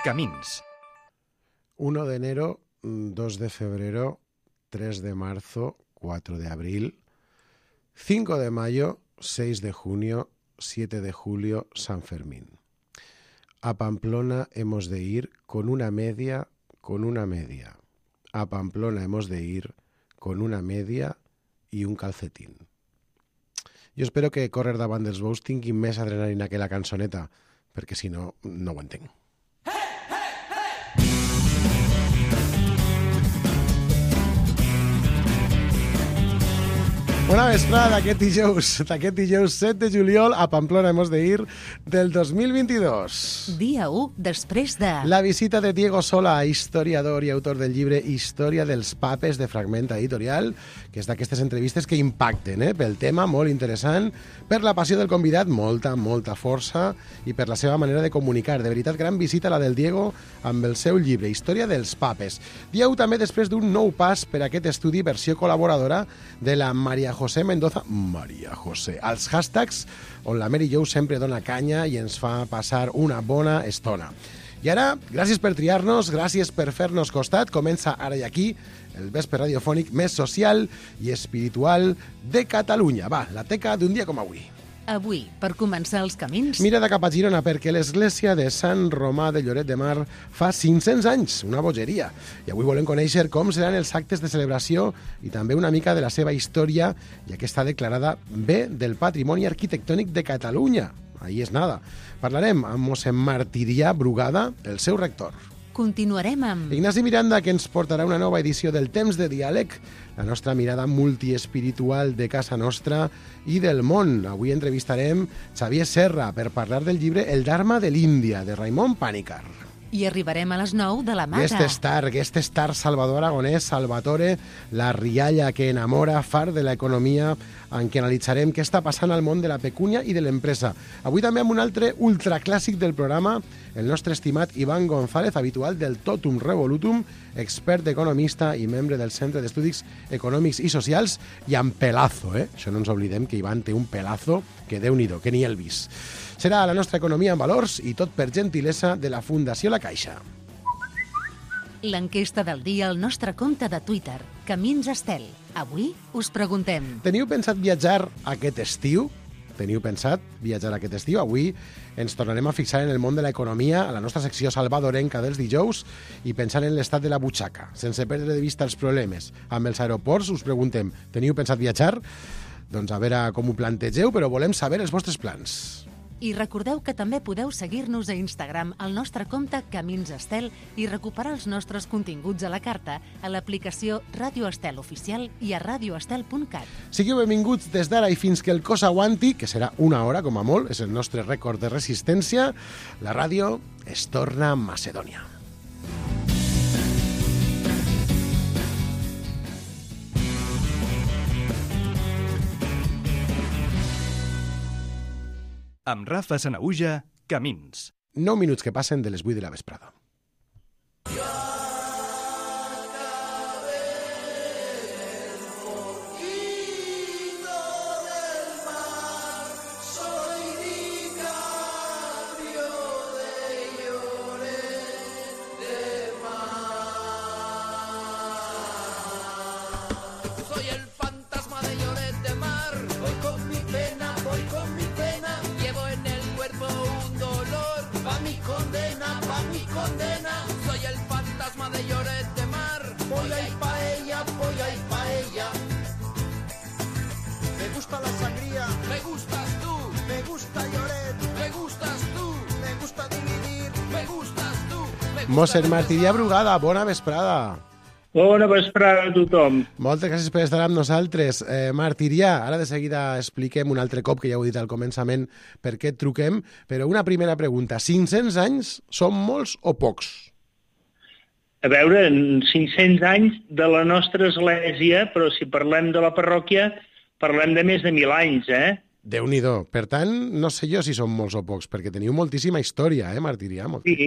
Camins. 1 de enero, 2 de febrero, 3 de marzo, 4 de abril, 5 de mayo, 6 de junio, 7 de julio, San Fermín. A Pamplona hemos de ir con una media. A Pamplona hemos de ir con una media i un calcetín. Jo espero que córrer davant dels bous tingui més adrenalina que la cançoneta, perquè si no, no ho entenc. Bona vesprada d'aquest dijous 7 de juliol a Pamplona hemos de ir del 2022. Dia 1 després de... La visita de Diego Sola, historiador i autor del llibre Història dels papes de Fragment Editorial, que és d'aquestes entrevistes que impacten, pel tema, molt interessant, per la passió del convidat, molta força, i per la seva manera de comunicar. De veritat, gran visita la del Diego amb el seu llibre Història dels papes. Dia 1 també després d'un nou pas per aquest estudi, versió col·laboradora de la Maria José Mendoza, als hashtags on la Mary Jo sempre dona canya i ens fa passar una bona estona. I ara, gràcies per triar-nos, gràcies per fer-nos costat. Comença ara i aquí el vespre radiofònic més social i espiritual de Catalunya. Va, la teca d'un dia com avui. Avui, per començar els camins... Mira de cap a Girona, perquè l'església de Sant Romà de Lloret de Mar fa 500 anys, una bogeria. I avui volem conèixer com seran els actes de celebració i també una mica de la seva història, ja que està declarada bé del Patrimoni Arquitectònic de Catalunya. Ahí és nada. Parlarem amb mossèn Martirià Brugada, el seu rector. Continuarem amb... Ignasi Miranda, que ens portarà una nova edició del Temps de Diàleg, la nostra mirada multiespiritual de casa nostra i del món. Avui entrevistarem Xavier Serra per parlar del llibre El Dharma de l'Índia, de Raimon Panikkar. I arribarem a les 9 de la Mata. Guest star Salvador Aragonès, Salvatore, la rialla que enamora, far de l'economia, en què analitzarem què està passant al món de la pecúnia i de l'empresa. Avui també amb un altre ultraclàssic del programa, el nostre estimat Ivan González, habitual del Totum Revolutum, expert economista i membre del Centre d'Estudis Econòmics i Socials, i amb pelazo, Això no ens oblidem que Ivan té un pelazo que Déu-n'hi-do, que ni el vis. Serà la nostra economia en valors i tot per gentilesa de la Fundació La Caixa. L'enquesta del dia al nostre compte de Twitter, Camins Estel. Avui us preguntem... Teniu pensat viatjar aquest estiu? Avui ens tornarem a fixar en el món de l'economia, a la nostra secció salvadorenca dels dijous, i pensar en l'estat de la butxaca, sense perdre de vista els problemes. Amb els aeroports us preguntem, teniu pensat viatjar? Doncs a veure com ho plantegeu, però volem saber els vostres plans. I recordeu que també podeu seguir-nos a Instagram al nostre compte Camins Estel i recuperar els nostres continguts a la carta a l'aplicació Ràdio Estel Oficial i a radioestel.cat. Sigueu benvinguts des d'ara i fins que el cos aguanti, que serà una hora com a molt, és el nostre rècord de resistència. La ràdio es torna a Macedònia. Amb Rafa Sanaüja, Camins. 9 minuts que passen de les 8 de la vesprada. Mossèn Martirià Brugada, bona vesprada. Bona vesprada a tothom. Moltes gràcies per estar amb nosaltres. Martirià, ara de seguida expliquem un altre cop, que ja ho he dit al començament, per què et truquem, però una primera pregunta. 500 anys són molts o pocs? A veure, 500 anys de la nostra església, però si parlem de la parròquia, parlem de més de 1.000 anys, Déu-n'hi-do. Per tant, no sé jo si són molts o pocs, perquè teniu moltíssima història, Martirià? Sí,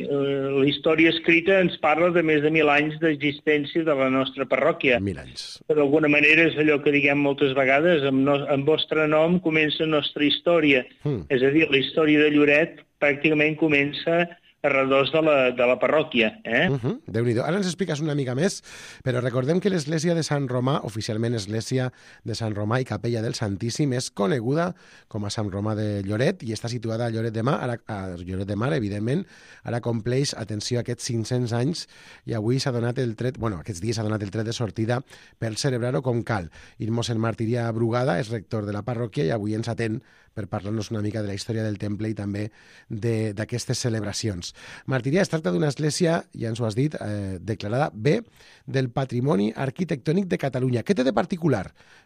la història escrita ens parla de més de 1.000 anys d'existència de la nostra parròquia. 1.000 anys. D'alguna manera és allò que diguem moltes vegades, amb vostre nom comença la nostra història. És a dir, la història de Lloret pràcticament comença arredors de la parròquia. Déu-n'hi-do. Ara ens expliques una mica més, però recordem que l'església de Sant Romà, oficialment església de Sant Romà i capella del Santíssim, és coneguda com a Sant Romà de Lloret i està situada a Lloret de Mar, evidentment, ara compleix, atenció, aquests 500 anys i avui s'ha donat el tret, aquests dies s'ha donat el tret de sortida per celebrar-ho com cal. I mossèn Martirià Brugada és rector de la parròquia i avui ens atén per parlar-nos una mica de la història del temple i també d'aquestes celebracions. Martirià, es tracta d'una església, ja ens ho has dit, declarada bé del Patrimoni Arquitectònic de Catalunya. Què té de particular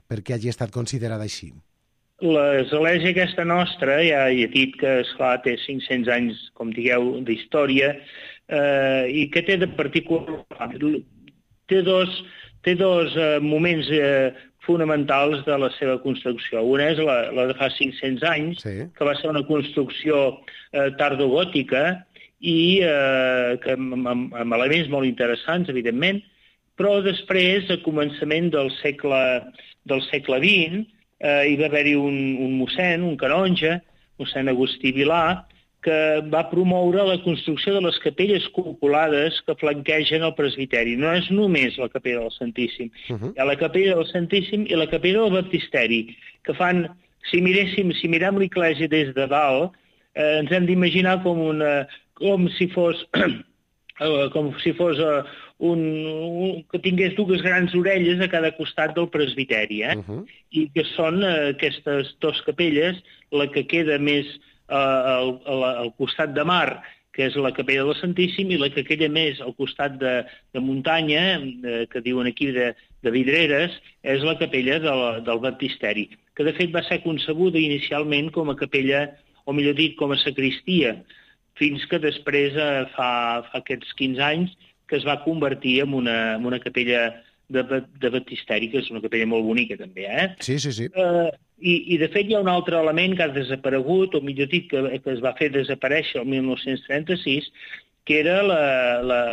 perquè hagi estat considerada així? L'església aquesta nostra, ja he dit que, esclar, té 500 anys, com digueu, d'història, i que té de particular... Té dos moments fonamentals de la seva construcció. Una és la de fa 500 anys, que va ser una construcció tardogòtica i amb elements molt interessants, evidentment, però després, a començament del segle XX, hi va haver-hi un mossèn, un canonge, mossèn Agustí Vilà, que va promoure la construcció de les capelles cupulades que flanquegen el presbiteri. No és només la capella del Santíssim. Hi ha la capella del Santíssim i la capella del Baptisteri, que fan, si mirem l'església des de dalt, ens hem d'imaginar com si fos que tingués dues grans orelles a cada costat del presbiteri, i que són aquestes dues capelles, la que queda més al costat de mar, que és la capella del Santíssim, i la que queda més al costat de muntanya, que diuen aquí de Vidreres, és la capella del Baptisteri, que de fet va ser concebuda inicialment com a capella, o millor dit, com a sacristia, fins que després, fa aquests 15 anys, que es va convertir en una capella de Baptisteri, que és una capella molt bonica també, Sí. I de fet hi ha un altre element que ha desaparegut, o millor dit, que es va fer desaparèixer el 1936, que era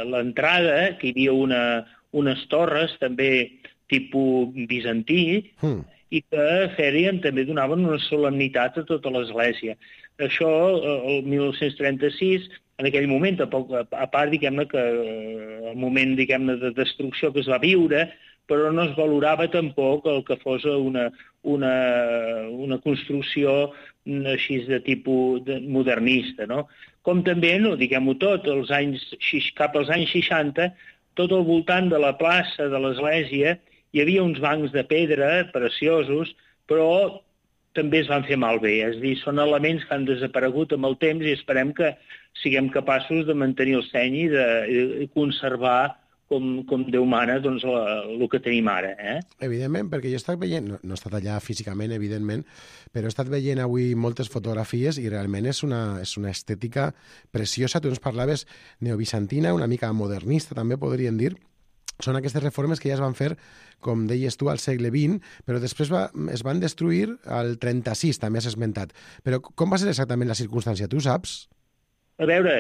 l'entrada, que hi havia unes torres també tipus bizantí, i que també donaven una solemnitat a tota l'església. Això, el 1936, en aquell moment, a part, diguem-ne, que el moment, diguem-ne, de destrucció que es va viure, però no es valorava tampoc el que fos una construcció així de tipus modernista, no? Com també, no diguem-ho tot, cap als anys 60, tot al voltant de la plaça de l'església hi havia uns bancs de pedra preciosos, però també es van fer malbé. És a dir, són elements que han desaparegut amb el temps i esperem que siguem capaços de mantenir el seny i de conservar com Déu mana, doncs, el que tenim ara. Evidentment, perquè jo he estat veient, no he estat allà físicament, evidentment, però he estat veient avui moltes fotografies i realment és una estètica preciosa. Tu ens parlaves neobizantina, una mica modernista, també podríem dir. Són aquestes reformes que ja es van fer, com deies tu, al segle XX, però després es van destruir al 36, també has esmentat. Però com va ser exactament la circumstància? Tu saps? A veure,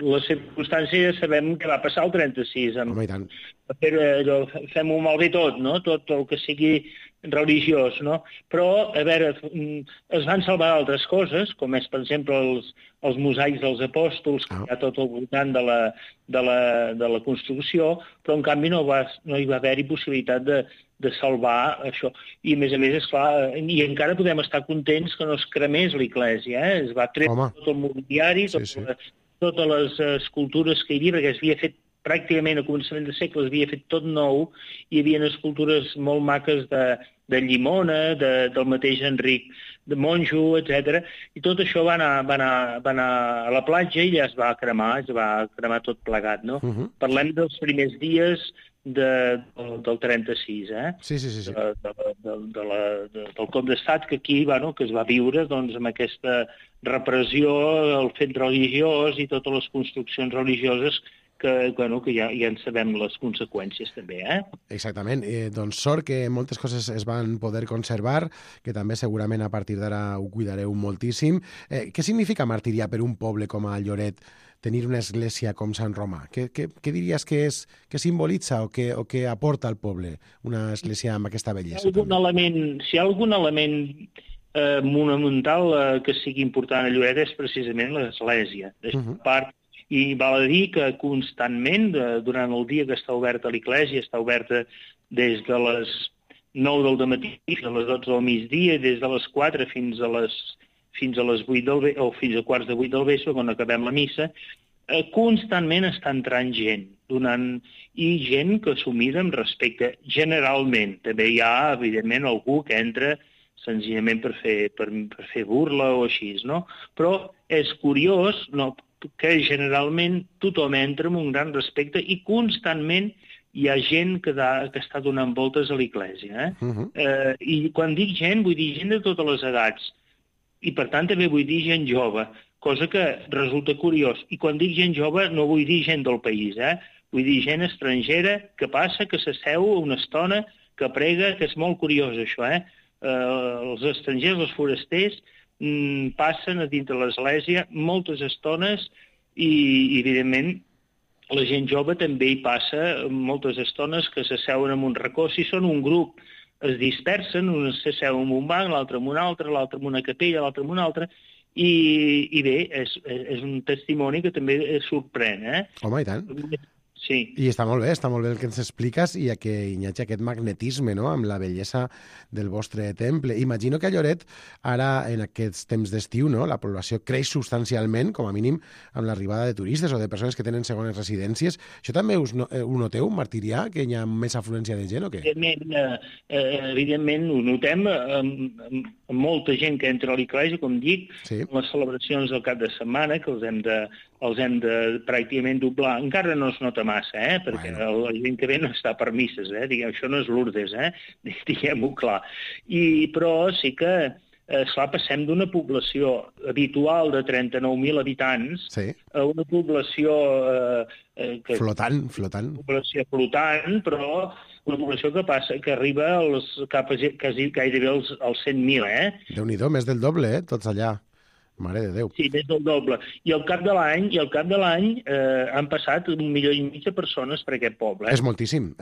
les circumstàncies sabem què va passar al 36. Home, i tant. Fem-ho malbé tot, no? Tot el que sigui religiós, no? Però, a veure, es van salvar altres coses, com és, per exemple, els mosaics dels apòstols, que hi ha tot al voltant de la construcció, però, en canvi, no hi va haver-hi possibilitat de salvar això. I, a més, esclar, i encara podem estar contents que no es cremés l'església, Es va treure tot el mobiliari, totes les escultures que hi havia, perquè es havia fet pràcticament a començament de segle, es havia fet tot nou, hi havia escultures molt maques de Llimona, del mateix Enric de Monjo, etc. I tot això va anar a la platja i ja es va cremar tot plegat, no? Parlem dels primers dies del 36, Sí. del cop d'estat que aquí, que es va viure amb aquesta repressió, el fet religiós i totes les construccions religioses que ja en sabem les conseqüències també, Exactament. Doncs sort que moltes coses es van poder conservar, que també segurament a partir d'ara ho cuidareu moltíssim. Què significa Martirià per un poble com a Lloret tenir una església com Sant Romà? Què diries que simbolitza o que aporta al poble una església amb aquesta bellesa? Si hi ha algun element monumental que sigui important a Lloret és precisament l'església. A part, I val a dir que constantment, durant el dia que està oberta l'església, està oberta des de les 9 del matí fins a les 12 del migdia, des de les 4 fins a les 8 del vespre, o fins a quarts de 8 del vespre, quan acabem la missa, constantment està entrant gent, i gent que s'ho mira amb respecte. Generalment, també hi ha, evidentment, algú que entra senzillament per fer burla o així, no? Però és curiós que generalment tothom entra amb un gran respecte i constantment hi ha gent que està donant voltes a l'església. I quan dic gent, vull dir gent de totes les edats. I per tant també vull dir gent jove, cosa que resulta curiós. I quan dic gent jove no vull dir gent del país, vull dir gent estrangera que passa, que s'asseu una estona, que prega, que és molt curiós això, Els estrangers, els forasters, passen a dintre l'església moltes estones i, evidentment, la gent jove també hi passa moltes estones que s'asseuen en un racó. Si són un grup, es dispersen, un s'asseu en un banc, l'altre en un altre, l'altre en una capella, l'altre en una altra, i bé, és un testimoni que també sorprèn. Home, i tant. Sí. I està molt bé el que ens expliques i que Iñaki aquest magnetisme, no?, amb la bellesa del vostre temple. Imagino que a Lloret, ara en aquests temps d'estiu, no?, la població creix substancialment, com a mínim amb l'arribada de turistes o de persones que tenen segones residències. Això també ho noteu, Martirià, que hi ha més afluència de gent o què? Evidentment ho notem amb molta gent que entra a l'església, com dic, les celebracions del cap de setmana, que els hem de pràcticament doblar. Encara no es nota massa, perquè la gent que ve no està per misses, això no és Lourdes, diguem-ho clar. Però sí que, esclar, passem d'una població habitual de 39.000 habitants a una població... Flotant. Població flotant, però una població que arriba gairebé als 100.000, Déu-n'hi-do, més del doble, tots allà. Mare de Déu. Sí, més del doble. I al cap de l'any han passat 1,5 milió de persones per aquest poble. És moltíssim.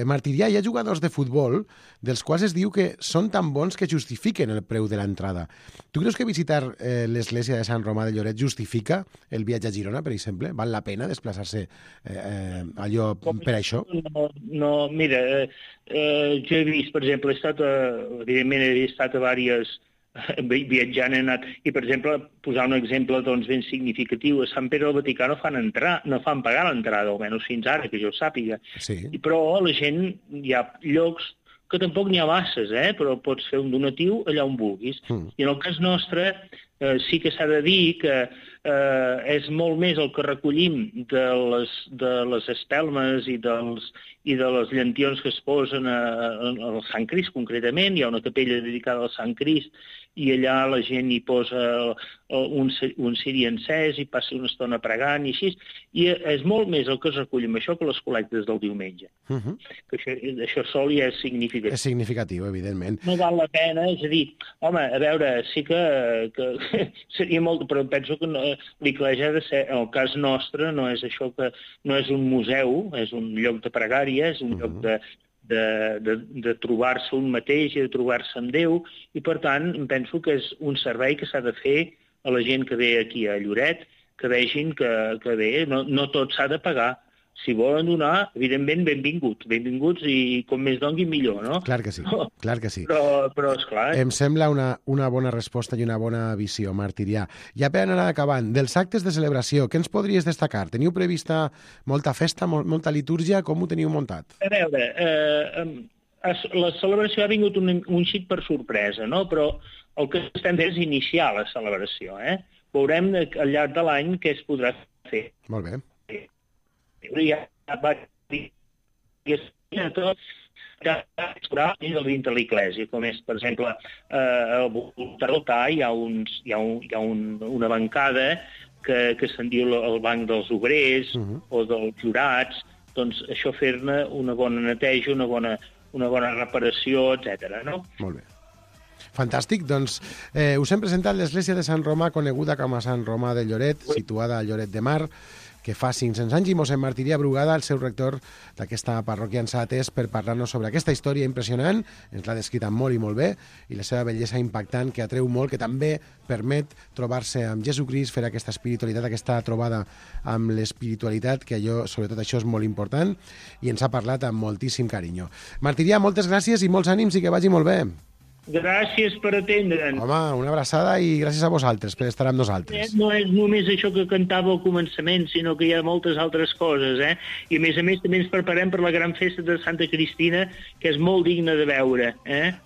Martirià, hi ha jugadors de futbol dels quals es diu que són tan bons que justifiquen el preu de l'entrada. Tu creus que visitar l'església de Sant Romà de Lloret justifica el viatge a Girona, per exemple? Val la pena desplaçar-se allò per això? No, mira, jo he vist, per exemple, evidentment he estat a diverses viatjant, he anat, i per exemple, posar un exemple ben significatiu, a Sant Pere del Vaticà no fan pagar l'entrada, almenys fins ara, que jo sàpiga. Però la gent, hi ha llocs que tampoc n'hi ha masses, però pots fer un donatiu allà on vulguis. I en el cas nostre sí que s'ha de dir que és molt més el que recollim de les espelmes i de les llentions que es posen al Sant Crist, concretament. Hi ha una capella dedicada al Sant Crist i allà la gent hi posa un ciri encès i passa una estona pregant i així. I és molt més el que es recull amb això que les col·lectes del diumenge. Que això sol ja és significatiu. És significatiu, evidentment. No val la pena, és a dir, home, a veure, sí que seria molt... Però penso que l'església ha de ser, en el cas nostre, no és això que... No és un museu, és un lloc de pregària, és un lloc de trobar-se un mateix i de trobar-se amb Déu, i per tant penso que és un servei que s'ha de fer a la gent que ve aquí a Lloret, que vegin que bé, no tot s'ha de pagar. Si volen donar, evidentment, benvinguts i com més dongui millor, no? Clar que sí. Però esclar... Em sembla una bona resposta i una bona visió, Martirià. Ja per anar acabant, dels actes de celebració, què ens podries destacar? Teniu prevista molta festa, molta litúrgia? Com ho teniu muntat? A veure, la celebració ha vingut un xic per sorpresa, no? Però el que estem fent és iniciar la celebració, Veurem al llarg de l'any què es podrà fer. Molt bé. Ja va dir tot dintre l'església, com és, per exemple, al voltant de l'altar hi ha una bancada que se'n diu el banc dels obrers o dels jurats, doncs això fer-ne una bona neteja, una bona reparació, etc. No? Molt bé. Fantàstic, doncs us hem presentat l'església de Sant Romà, coneguda com a Sant Romà de Lloret, situada a Lloret de Mar, que fa 500 anys, i mossèn Martirià Brugada, el seu rector d'aquesta parròquia, ens ha atès per parlar-nos sobre aquesta història impressionant, ens l'ha descrita molt i molt bé, i la seva bellesa impactant, que atreu molt, que també permet trobar-se amb Jesucrist, fer aquesta espiritualitat, aquesta trobada amb l'espiritualitat, que sobretot això és molt important, i ens ha parlat amb moltíssim carinyo. Martirià, moltes gràcies i molts ànims i que vagi molt bé. Gràcies per atendre'ns. Home, una abraçada i gràcies a vosaltres per estar amb nosaltres. No és només això que cantava al començament, sinó que hi ha moltes altres coses, I a més també ens preparem per la gran festa de Santa Cristina, que és molt digna de veure,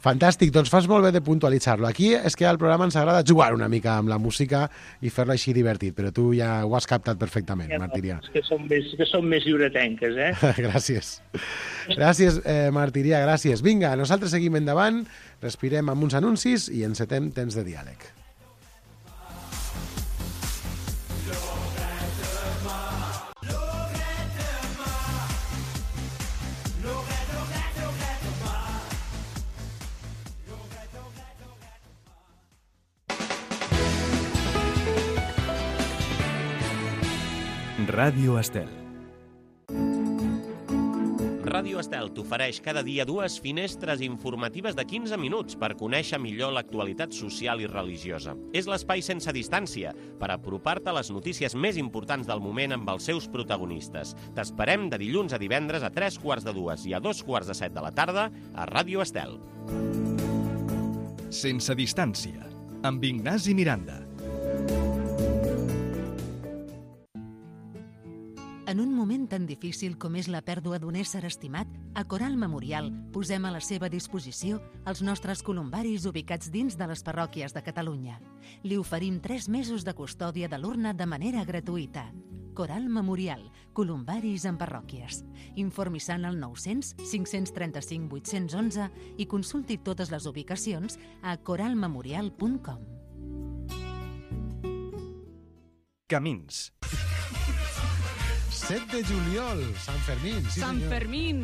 Fantàstic, doncs fas molt bé de puntualitzar-lo. Aquí és que al programa ens agrada jugar una mica amb la música i fer-lo així divertit, però tu ja ho has captat perfectament, Martirià. Que som més lliuretenques, Gràcies. Gràcies, Martirià, gràcies. Vinga, nosaltres seguim endavant, respirem amb uns anuncis i encetem temps de diàleg. Ràdio Estel. Ràdio Estel t'ofereix cada dia 2 finestres informatives de 15 minuts per conèixer millor l'actualitat social i religiosa. És l'espai sense distància per apropar-te a les notícies més importants del moment amb els seus protagonistes. T'esperem de dilluns a divendres a 3:45 i a 2:45 de la tarda a Ràdio Estel. Sense distància, amb Ignasi Miranda. En un moment tan difícil com és la pèrdua d'un ésser estimat, a Coral Memorial posem a la seva disposició els nostres columbaris ubicats dins de les parròquies de Catalunya. Li oferim 3 mesos de custòdia de l'urna de manera gratuïta. Coral Memorial, columbaris en parròquies. Informi-se al 900 535 811 i consulti totes les ubicacions a coralmemorial.com. Camins. 7 de juliol, Sant Fermín. Sí, Sant senyor. Fermín.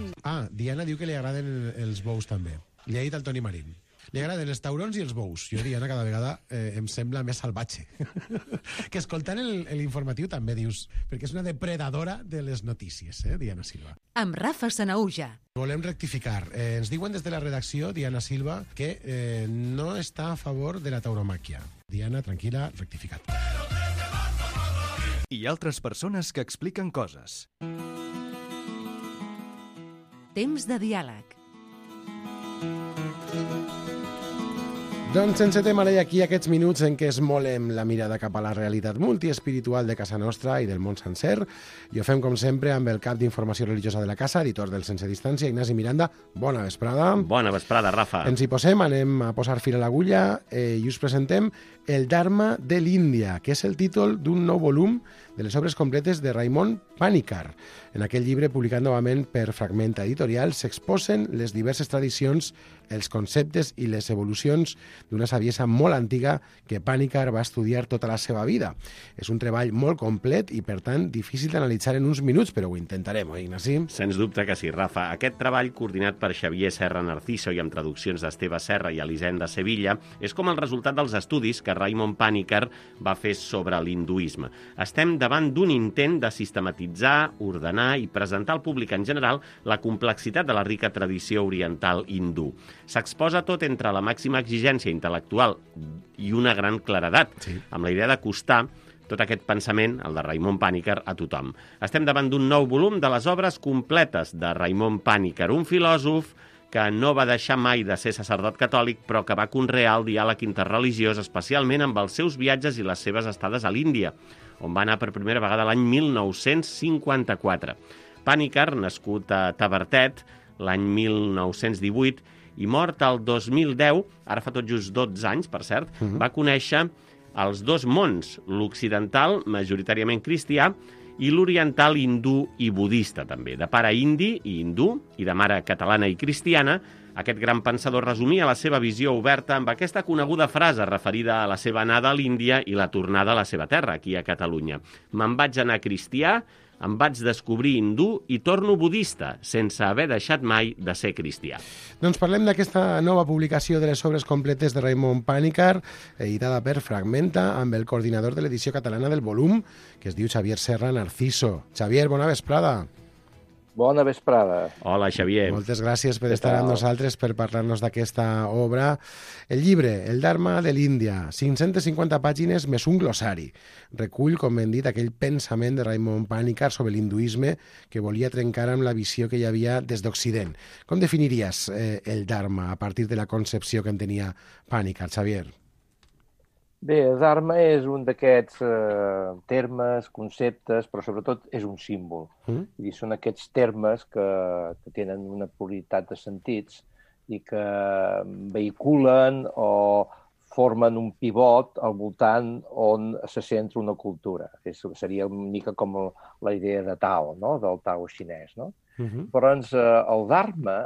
Diana diu que li agraden els bous també. Li ha dit al Toni Marín. Li agraden els taurons i els bous. Jo, Diana, cada vegada em sembla més salvatge. Que escoltant l'informatiu també dius, perquè és una depredadora de les notícies, Diana Silva. Amb Rafa Sanauja. Volem rectificar. Ens diuen des de la redacció, Diana Silva, que no està a favor de la tauromàquia. Diana, tranquil·la, rectificat. I altres persones que expliquen coses. Temps de diàleg. Doncs encetem ara i aquí aquests minuts en què esmolem la mirada cap a la realitat multiespiritual de casa nostra i del món sencer, i ho fem com sempre amb el cap d'informació religiosa de la casa, editor del Sense Distància, Ignasi Miranda. Bona vesprada. Bona vesprada, Rafa. Ens hi posem, anem a posar fil a l'agulla i us presentem El Dharma de l'Índia, que és el títol d'un nou volum de les obres completes de Raimon Panikkar. En aquell llibre, publicat novament per Fragmenta Editorial, s'exposen les diverses tradicions, els conceptes i les evolucions d'una saviesa molt antiga que Panikkar va estudiar tota la seva vida. És un treball molt complet i, per tant, difícil d'analitzar en uns minuts, però ho intentarem, oi, Ignasi? Sens dubte que sí, Rafa. Aquest treball, coordinat per Xavier Serra Narciso i amb traduccions d'Esteve Serra i Elisenda Sevilla, és com el resultat dels estudis que Raimon Panikkar va fer sobre l'hinduisme. Estem davant d'un intent de sistematitzar, ordenar i presentar al públic en general la complexitat de la rica tradició oriental hindú. S'exposa tot entre la màxima exigència intel·lectual i una gran claredat, amb la idea d'acostar tot aquest pensament, el de Raimon Panikkar, a tothom. Estem davant d'un nou volum de les obres completes de Raimon Panikkar, un filòsof que no va deixar mai de ser sacerdot catòlic, però que va conrear el diàleg interreligiós, especialment amb els seus viatges i les seves estades a l'Índia, on va anar per primera vegada l'any 1954. Panikkar, nascut a Tavertet l'any 1918 i mort el 2010, ara fa tot just 12 anys, per cert, va conèixer els dos mons, l'occidental, majoritàriament cristià, i l'oriental hindú i budista, també. De pare indi i hindú, i de mare catalana i cristiana, Aquest gran pensador resumia la seva visió oberta amb aquesta coneguda frase referida a la seva anada a l'Índia i la tornada a la seva terra, aquí a Catalunya. Me'n vaig anar cristià, em vaig descobrir hindú i torno budista, sense haver deixat mai de ser cristià. Doncs parlem d'aquesta nova publicació de les obres completes de Raimon Pànicar, editada per Fragmenta, amb el coordinador de l'edició catalana del volum, que es diu Xavier Serra Narciso. Xavier, bona vesprada. Bona vesprada. Hola, Xavier. Moltes gràcies per estar amb nosaltres, per parlar-nos d'aquesta obra. El llibre, El Dharma de l'Índia, 550 pàgines més un glossari. Recull, com hem dit, aquell pensament de Raimon Pànicar sobre l'hinduisme que volia trencar amb la visió que hi havia des d'Occident. Com definiries el Dharma a partir de la concepció que en tenia Pànicar, Xavier? Bé, el Dharma és un d'aquests termes, conceptes, però sobretot és un símbol. I són aquests termes que tenen una pluralitat de sentits i que vehiculen o formen un pivot al voltant on se centra una cultura. Seria una mica com la idea de Tao, no? Del Tao xinès. No? Però el Dharma,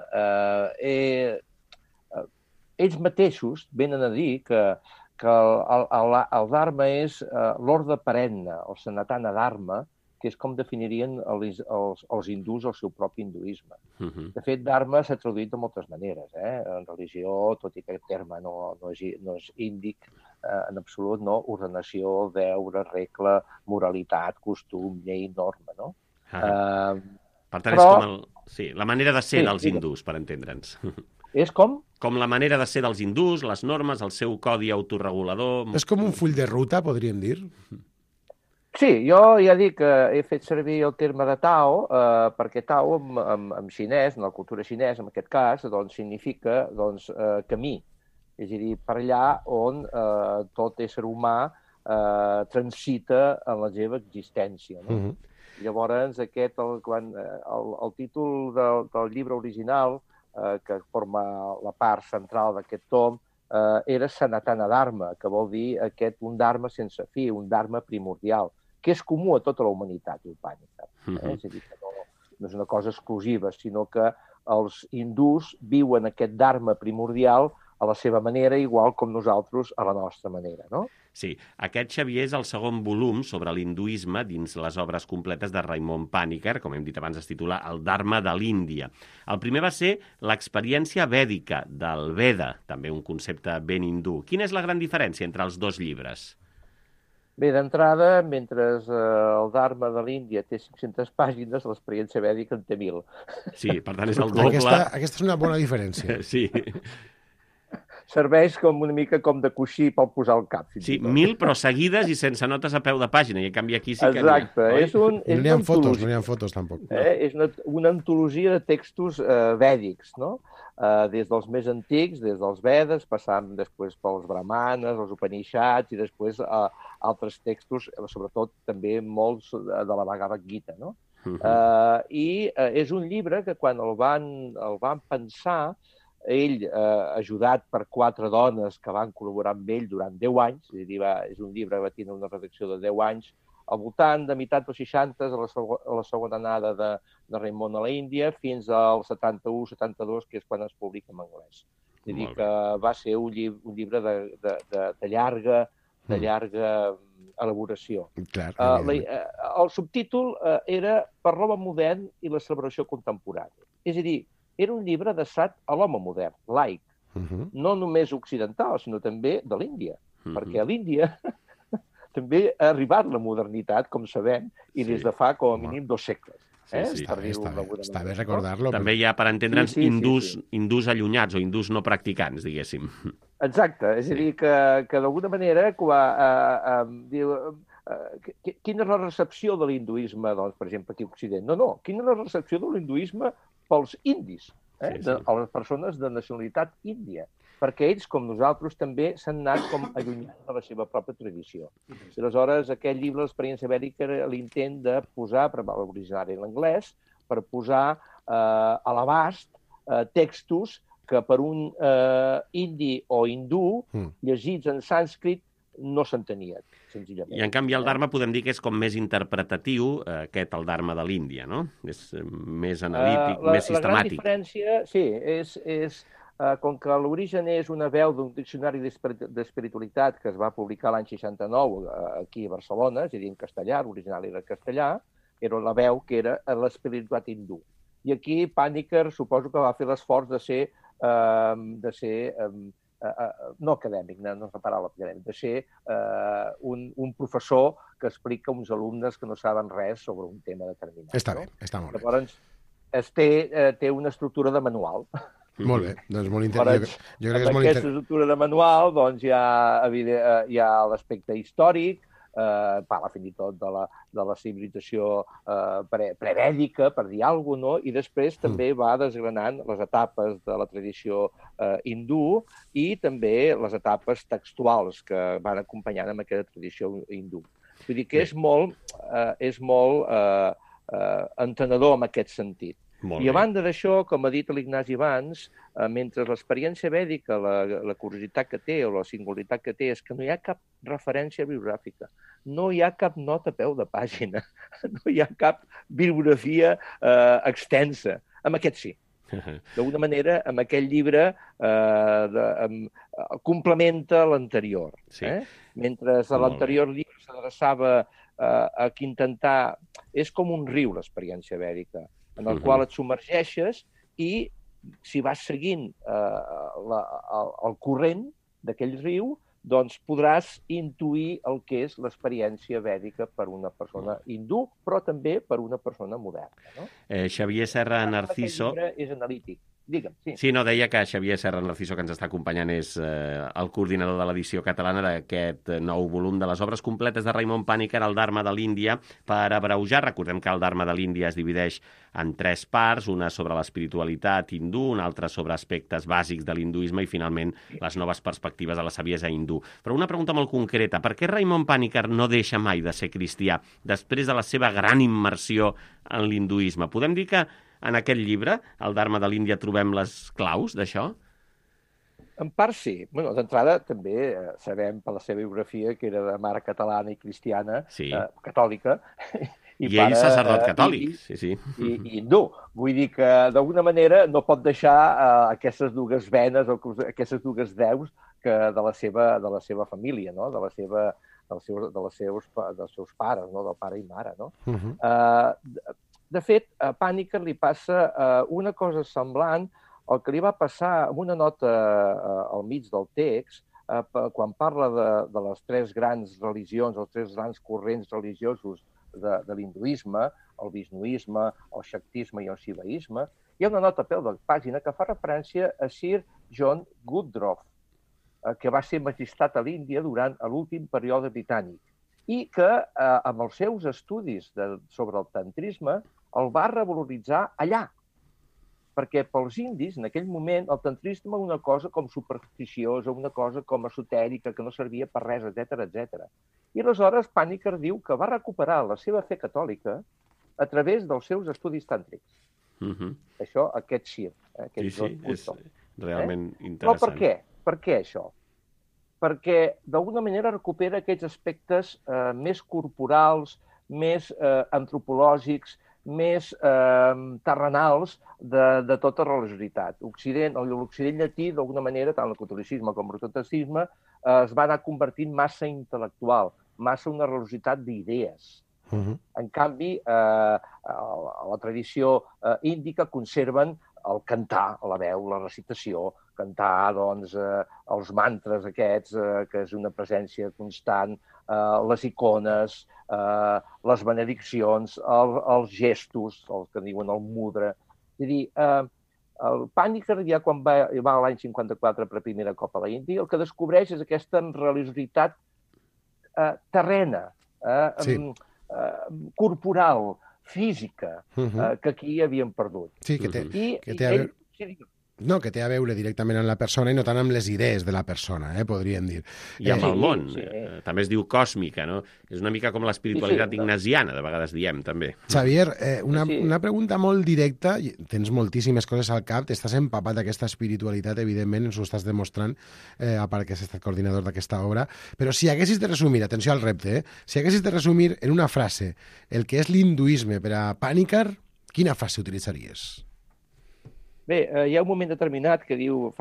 ells mateixos venen a dir que el Dharma és l'ordre perenne, el Sanatana Dharma, que és com definirien els hindús el seu propi hinduisme. De fet, Dharma s'ha traduït de moltes maneres. En religió, tot i que aquest terme no és índic en absolut, no? Ordenació, deure, regla, moralitat, costum, llei, norma. No? Per tant, és com la manera de ser dels hindús, per entendre'ns. És com? Com la manera de ser dels hindús, les normes, el seu codi autorregulador... És com un full de ruta, podríem dir? Sí, jo ja dic que he fet servir el terme de Tao, perquè Tao en xinès, en la cultura xinesa, en aquest cas, doncs, significa camí. És a dir, per allà on tot ésser humà transita en la seva existència. No? Llavors, el títol del llibre original, que forma la part central d'aquest tom, era Sanatana Dharma, que vol dir un dharma sense fi, un dharma primordial, que és comú a tota la humanitat, diu Pànicar. És a dir, que no és una cosa exclusiva, sinó que els hindús viuen aquest dharma primordial a la seva manera, igual com nosaltres a la nostra manera, no? Sí, aquest, Xavier, és el segon volum sobre l'hinduisme dins les obres completes de Raimon Pànicar, com hem dit abans, es titula El Dharma de l'Índia. El primer va ser l'experiència vèdica del Veda, també un concepte ben hindú. Quina és la gran diferència entre els dos llibres? Bé, d'entrada, mentre el Dharma de l'Índia té 500 pàgines, l'experiència vèdica en té 1.000. Sí, per tant és el doble. Aquesta és una bona diferència. Sí. Serveix com una mica com de coixí per posar al cap. Sí, 1.000 però seguides i sense notes a peu de pàgina, i en canvi aquí sí que... Exacte. No n'hi ha fotos, no n'hi ha fotos tampoc. És una antologia de textos vèdics, no? Des dels més antics, des dels Vedes, passant després pels Brahmanes, els Upanishads i després altres textos, sobretot també molts de la Bhagavad Gita, no? I és un llibre que quan el van pensar, ell, ajudat per 4 dones que van col·laborar amb ell durant 10 anys, és a dir, és un llibre que va tenir una redacció de 10 anys, al voltant de meitat dels 60, a la segona anada de Raimon a l'Índia, fins al 71-72, que és quan es publica en anglès. És a dir, que va ser un llibre de llarga elaboració. El subtítol era Per l'home modern i la celebració contemporània. És a dir, era un llibre adreçat a l'home modern, laic, no només occidental, sinó també de l'Índia, perquè a l'Índia també ha arribat la modernitat, com sabem, i des de fa com a mínim 2 segles. Està bé recordar-lo. També hi ha, per entendre'ns, hindús allunyats o hindús no practicants, diguéssim. Exacte, és a dir, que d'alguna manera quina és la recepció de l'hinduisme, doncs, per exemple, aquí a Occident? No, quina és la recepció de l'hinduisme pels indis, a les persones de nacionalitat índia, perquè ells, com nosaltres, també s'han anat com allunyant de la seva pròpia tradició. I aleshores, aquest llibre, l'experiència vèdica, era l'intent de posar, per l'originari en l'anglès, per posar a l'abast textos que per un indi o hindú, llegits en sànscrit, no s'entenien, senzillament. I en canvi el Dharma podem dir que és com més interpretatiu, el Dharma de l'Índia, no? És més analític, més sistemàtic. La gran diferència, sí, és com que l'origen és una veu d'un diccionari d'espiritualitat que es va publicar l'any 69 aquí a Barcelona, és a dir, en castellà, l'original era castellà, era la veu que era l'espiritualitat hindú. I aquí Panikkar suposo que va fer l'esforç de ser no acadèmic, no és la paraula acadèmic, de ser un professor que explica a uns alumnes que no saben res sobre un tema determinat. Està bé, està molt bé. Llavors, té una estructura de manual. Molt bé, doncs molt interessant. Jo crec que és molt aquesta estructura de manual doncs, hi ha l'aspecte històric, parla fins i tot de la civilització prevèdica, per dir alguna cosa, i després també va desgranant les etapes de la tradició hindú i també les etapes textuals que van acompanyant amb aquesta tradició hindú. Vull dir que és molt entenedor en aquest sentit. I a banda d'això, com ha dit l'Ignasi abans, mentre l'experiència vèdica, la curiositat que té o la singularitat que té és que no hi ha cap referència bibliogràfica, no hi ha cap nota a peu de pàgina, no hi ha cap bibliografia extensa. Amb aquest sí. D'alguna manera, amb aquest llibre complementa l'anterior. Mentre l'anterior llibre s'adreçava a intentar... És com un riu, l'experiència vèdica, en el qual et submergeixes i si vas seguint el corrent d'aquell riu, doncs podràs intuir el que és l'experiència vèdica per una persona hindú, però també per una persona moderna. No? Xavier Serra Narciso... Aquest llibre és analític. Digue'm, sí. Sí, no, deia que Xavier Serra Narciso, que ens està acompanyant, és el coordinador de l'edició catalana d'aquest nou volum de les obres completes de Raimon Panikkar, el Dharma de l'Índia, per abreujar. Recordem que el Dharma de l'Índia es divideix en 3 parts, una sobre l'espiritualitat hindú, una altra sobre aspectes bàsics de l'hinduisme i, finalment, les noves perspectives de la saviesa hindú. Però una pregunta molt concreta, per què Raimon Panikkar no deixa mai de ser cristià després de la seva gran immersió en l'hinduisme? Podem dir que en aquest llibre, el Dharma de l'Índia, trobem les claus d'això? En part sí. Bueno, d'entrada també sabem per la seva biografia que era de mare catalana i cristiana, catòlica. I ell sacerdot catòlic, sí. I hindú. Vull dir que d'alguna manera no pot deixar aquestes dues venes o aquestes dues deus de la seva família, no? dels seus pares, no? Del pare i mare. No? De fet, a Panikkar li passa una cosa semblant al que li va passar amb una nota al mig del text, quan parla de les 3 grans religions, els 3 grans corrents religiosos de l'hinduisme, el vishnuisme, el shaktisme i el shivaisme, hi ha una nota a peu de pàgina que fa referència a Sir John Woodroffe, que va ser magistrat a l'Índia durant l'últim període britànic i que, amb els seus estudis sobre el tantrisme, el va revaloritzar allà. Perquè pels indis, en aquell moment, el tantrisme era una cosa com supersticiosa, una cosa com esotèrica, que no servia per res, etc. I aleshores Panikkar diu que va recuperar la seva fe catòlica a través dels seus estudis tàntrics. Això, aquest Sir. Sí, és realment interessant. Però per què? Per què això? Perquè d'alguna manera recupera aquests aspectes més corporals, més antropològics, més terrenals de tota religiositat. L'Occident llatí, d'alguna manera, tant el catolicisme com el protestantisme, es va anar convertint massa intel·lectual, massa una religiositat d'idees. En canvi, a la tradició índica conserven el cantar, la veu, la recitació, cantar doncs, els mantres aquests, que és una presència constant, les icones, les benediccions, els gestos, el que diuen el mudra. És a dir, el Panikkar, ja quan va l'any 54 per primera cop a l'Índia, el que descobreix és aquesta religiositat terrena, corporal, física, que aquí havíem perdut. Sí, que té a veure... No, que té a veure directament amb la persona i no tant amb les idees de la persona, podríem dir. I amb el món. També es diu còsmica, no? És una mica com l'espiritualitat ignasiana, de vegades diem, també. Xavier, una pregunta molt directa. Tens moltíssimes coses al cap, t'estàs empapat d'aquesta espiritualitat, evidentment, ens ho estàs demostrant, a part que has estat coordinador d'aquesta obra, però si haguessis de resumir, atenció al repte, si haguessis de resumir en una frase el que és l'hinduisme per a Panikkar, quina frase utilitzaries? Bé, hi ha un moment determinat que diu,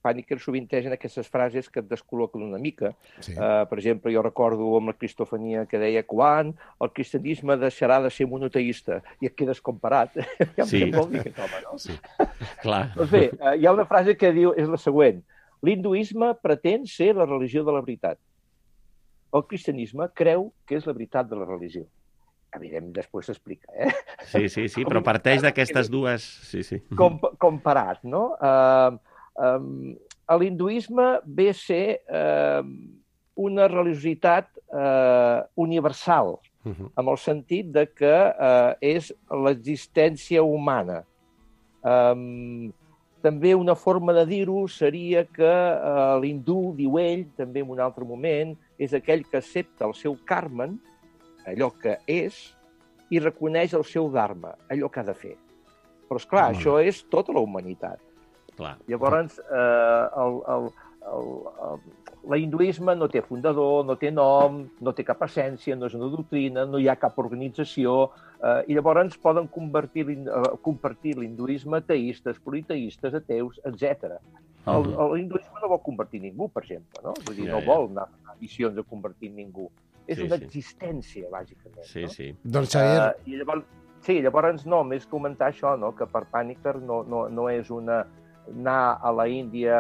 Panikkar sovinteix en aquestes frases que et descol·loquen una mica. Sí. Per exemple, jo recordo amb la cristofania que deia quan el cristianisme deixarà de ser monoteista i et quedes comparat. Sí. Què vol dir aquest home, no? Sí. Clar. Doncs bé, hi ha una frase que diu, és la següent. L'hinduisme pretén ser la religió de la veritat. El cristianisme creu que és la veritat de la religió. Evidentment, després s'explica, Sí, però parteix d'aquestes dues... Sí. Comparat, no? L'hinduisme ve a ser una religiositat universal, amb el sentit de que és l'existència humana. També una forma de dir-ho seria que l'hindú, diu ell, també en un altre moment, és aquell que accepta el seu karma, allò que és, i reconeix el seu dharma, allò que ha de fer. Però, esclar, això és tota la humanitat. Clar. Llavors, l'hinduisme no té fundador, no té nom, no té cap essència, no és una doctrina, no hi ha cap organització, i llavors poden compartir l'hinduisme teistes, politeistes, ateus, etc. L'hinduisme no vol convertir ningú, per exemple, no? Vull dir, no vol anar a missions a convertir ningú. És una existència, bàsicament. Sí. Doncs, Xavier... Llavors no, més comentar això, no? Que per Panikkar no és una... Anar a la Índia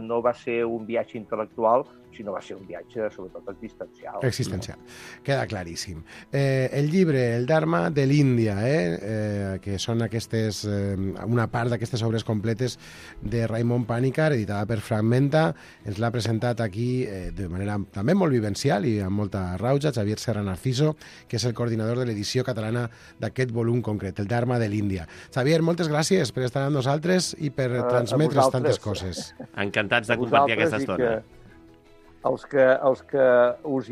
no va ser un viatge intel·lectual, sinó va ser un viatge, sobretot, existencial. Existencial. Queda claríssim. El llibre, el Dharma de l'Índia, que són aquestes, una part d'aquestes obres completes de Raymond Panikkar, editada per Fragmenta, ens l'ha presentat aquí de manera també molt vivencial i amb molta rauja, Xavier Serra Narciso, que és el coordinador de l'edició catalana d'aquest volum concret, el Dharma de l'Índia. Xavier, moltes gràcies per estar amb nosaltres i per transmetre's tantes coses. Encantats de compartir aquesta estona. Els que us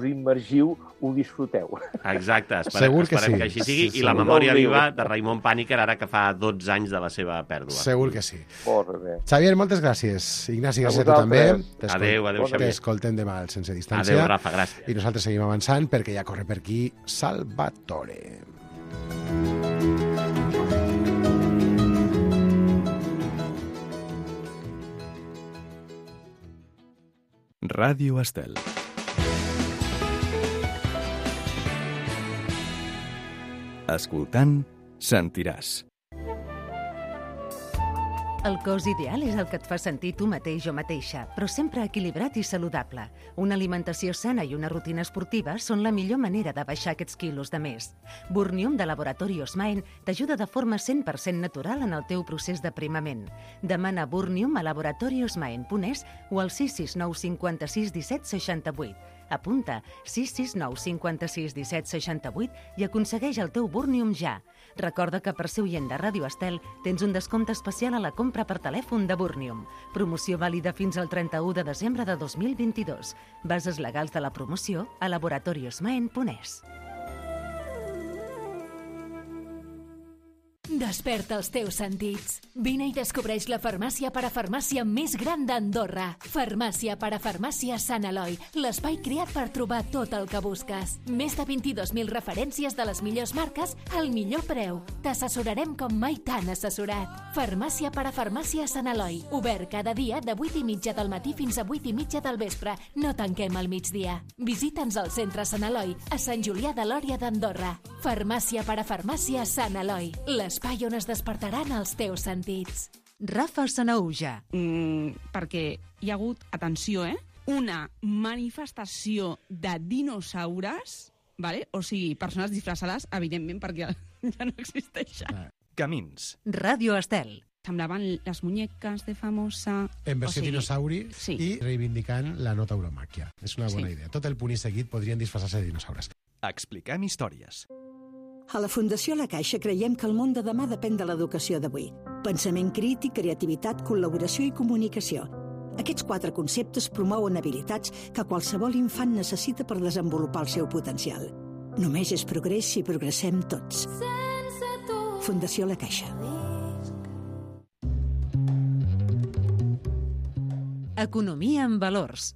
immergiu ho disfruteu. Exacte, esperem que així sigui. I la memòria viva de Raymond Panikkar, ara que fa 12 anys de la seva pèrdua. Segur que sí. Molt bé. Xavier, moltes gràcies. Ignasi, gràcies a tu també. Adéu, Xavier. T'escoltem demà al Sense Distància. Adéu, Rafa, gràcies. I nosaltres seguim avançant perquè ja corre per aquí Salvatore. Ràdio Estel. Escoltant, sentiràs. El cos ideal és el que et fa sentir tu mateix o mateixa, però sempre equilibrat i saludable. Una alimentació sana i una rutina esportiva són la millor manera de baixar aquests quilos de més. Burnium de Laboratori Osmaen t'ajuda de forma 100% natural en el teu procés d'aprimament. Demana Burnium a laboratoriosmaen.es o al 669 56 17 68. Apunta 669 56 17 68 i aconsegueix el teu Burnium ja. Recorda que per ser oient de Ràdio Estel tens un descompte especial a la compra per telèfon de Burnium. Promoció vàlida fins al 31 de desembre de 2022. Bases legals de la promoció a laboratoriosmaen.es. Desperta els teus sentits. Vine i descobreix la farmàcia parafarmàcia més gran d'Andorra. Farmàcia parafarmàcia Sant Eloi, l'espai creat per trobar tot el que busques. Més de 22.000 referències de les millors marques al millor preu. T'assessorarem com mai t'han assessorat. Farmàcia parafarmàcia Sant Eloi, obert cada dia de 8:30 del matí fins a 8:30 del vespre. No tanquem al migdia. Visita'ns al centre Sant Eloi, a Sant Julià de Lòria d'Andorra. Farmàcia parafarmàcia Sant Eloi, l'espai on es despertaran els teus sentits. Rafa Sanauja. Perquè hi ha hagut, atenció, una manifestació de dinosaures, vale? O sigui, persones disfressades, evidentment, perquè ja no existeixen. Camins. Ràdio Estel. Semblaven les muñeques de famosa... En versió dinosauri sí. I reivindicant la no tauromàquia. És una bona idea. Tot el punt i seguit podrien disfressar-se de dinosaures. Expliquem històries. A la Fundació La Caixa creiem que el món de demà depèn de l'educació d'avui. Pensament crític, creativitat, col·laboració i comunicació. Aquests 4 conceptes promouen habilitats que qualsevol infant necessita per desenvolupar el seu potencial. Només és progrés si progressem tots. Fundació La Caixa. Economia en valors.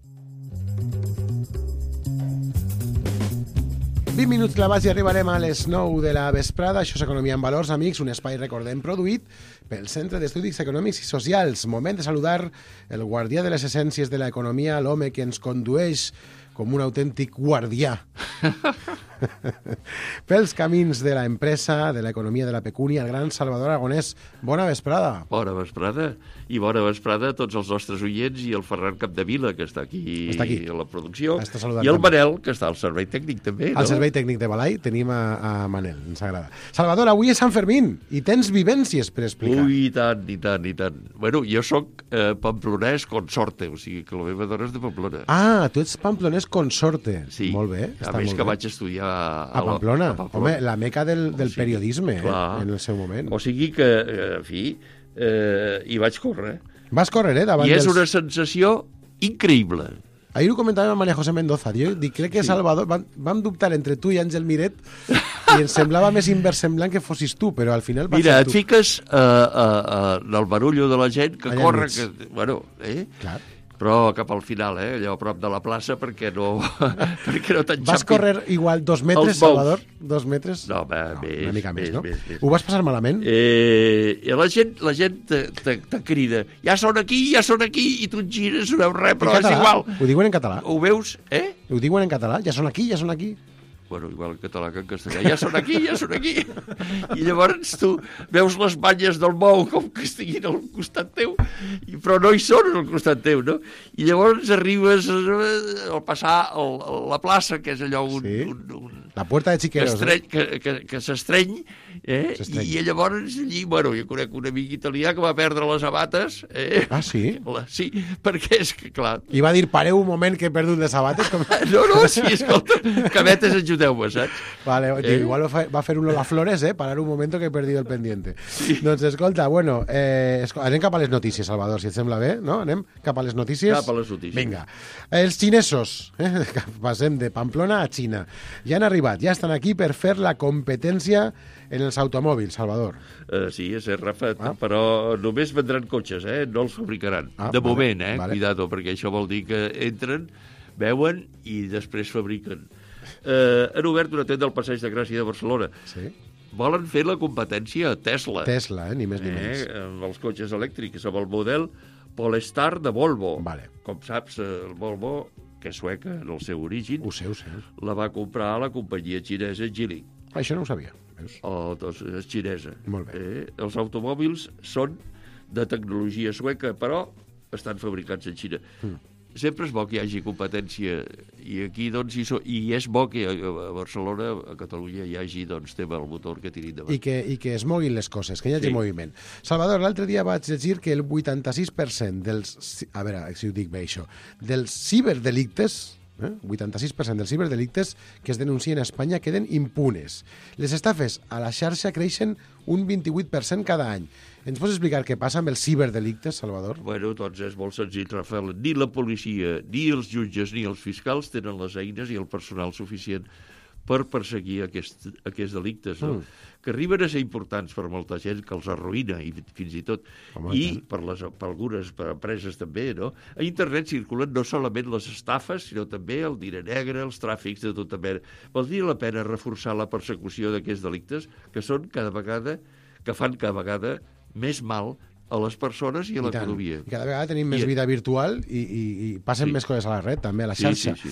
20 minuts clavats i arribarem a les 9 de la vesprada. Això és Economia en Valors, amics, un espai, recordem, produït pel Centre d'Estudis Econòmics i Socials. Moment de saludar el guardià de les essències de l'economia, l'home que ens condueix com un autèntic guardià pels camins de l'empresa, de l'economia, de la pecúnia, el gran Salvador Aragonès. Bona vesprada. Bona vesprada. I bona vesprada a tots els nostres oients i el Ferran Capdevila, que està aquí a la producció, i el Manel, que està al servei tècnic també. Al servei tècnic de Balai tenim a Manel, ens agrada. Salvador, avui és Sant Fermín i tens vivències per explicar. Ui, i tant. Bueno, jo sóc pamplonès consorte, o sigui que la meva dona és de Pamplona. Ah, tu ets pamplonès consorte. Sí, molt bé, a més que vaig estudiar a Pamplona. Home, la meca del periodisme, en el seu moment. O sigui que, en fi, hi vaig córrer. Vas córrer, davant I és una sensació increïble. Ahir ho comentàvem amb María José Mendoza. Jo dic, crec que Salvador... Vam dubtar entre tu i Àngel Miret i ens semblava més inversemblant que fossis tu, però al final vas ser tu. Mira, et fiques en el barullo de la gent que allà corre... Bueno, Clar. Però cap al final, allò a prop de la plaça, perquè no t'enxampi. Vas córrer igual 2 metres, Salvador? 2 metres? No, més. Una mica més, no? Més. Ho vas passar malament? La gent te crida, ja són aquí, i tu et gires, no veus res, però és igual. Ho diuen en català? Ho veus, Ho diuen en català? Ja són aquí. Bueno, igual en català que en castellà, ja són aquí. I llavors tu veus les banyes del bou com que estiguin al costat teu, però no hi són al costat teu, no? I llavors arribes al passar la plaça, que és allò la puerta de Chiqueros, que s'estreny, i llavors allí, bueno, jo conec un amic italià que va perdre les sabates. Ah, sí? Sí, perquè és que, clar... I va dir, pareu un moment que he perdut les sabates. No, sí, escolta, cabetes, ajudeu-me, saps? Vale, igual va fer un Lola Flores, parar un moment que he perdido el pendiente. Sí. Doncs escolta, bueno, anem cap a les notícies, Salvador, si et sembla bé, no? Anem cap a les notícies? Cap a les notícies. Vinga. Els xinesos, passem de Pamplona a Xina. Ja han arribat, ja estan aquí per fer la competència en els automòbils, Salvador. Sí, és cert, Rafa, però només vendran cotxes, no els fabricaran. De moment, cuidado, perquè això vol dir que entren, veuen i després fabriquen. Han obert una tenda al Passeig de Gràcia de Barcelona. Sí. Volen fer la competència a Tesla. Tesla, ni més ni menys. Amb els cotxes elèctrics, amb el model Polestar de Volvo. Vale. Com saps, el Volvo, que és sueca en el seu origen, ho sé. La va comprar la companyia xinesa Geely. Això no ho sabia. Doncs és xinesa. Molt bé. Els automòbils són de tecnologia sueca, però estan fabricats en Xina. Sempre és bo que hi hagi competència i aquí, doncs, i és bo que a Barcelona, a Catalunya, hi hagi, doncs, tema el motor que tiri endavant. I que es moguin les coses, que hi hagi moviment. Salvador, l'altre dia vaig llegir que el 86% dels... A veure, si ho dic bé, això. Dels ciberdelictes... 86% dels ciberdelictes que es denuncien a Espanya queden impunes. Les estafes a la xarxa creixen un 28% cada any. Ens pots explicar què passa amb els ciberdelictes, Salvador? Bueno, doncs és molt senzill, Rafael. Ni la policia, ni els jutges, ni els fiscals tenen les eines i el personal suficient per perseguir aquests delictes, no? Que arriben a ser importants per molta gent, que els arruïna, i fins i tot, per algunes empreses també, no? A internet circulen no solament les estafes, sinó també el diner negre, els tràfics de tota mena. Valdria la pena reforçar la persecució d'aquests delictes, que fan cada vegada més mal a les persones i a l'economia. I cada vegada tenim més vida virtual i passen més coses a la red, també, a la xarxa. Sí.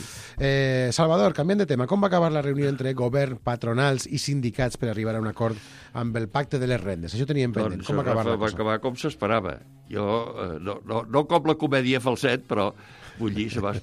Salvador, canviant de tema, com va acabar la reunió entre govern, patronals i sindicats per arribar a un acord amb el pacte de les rendes? Això teníem pendent. Com va acabar la cosa? Va acabar com s'esperava. Jo, no com la comèdia falset, però vull dir, va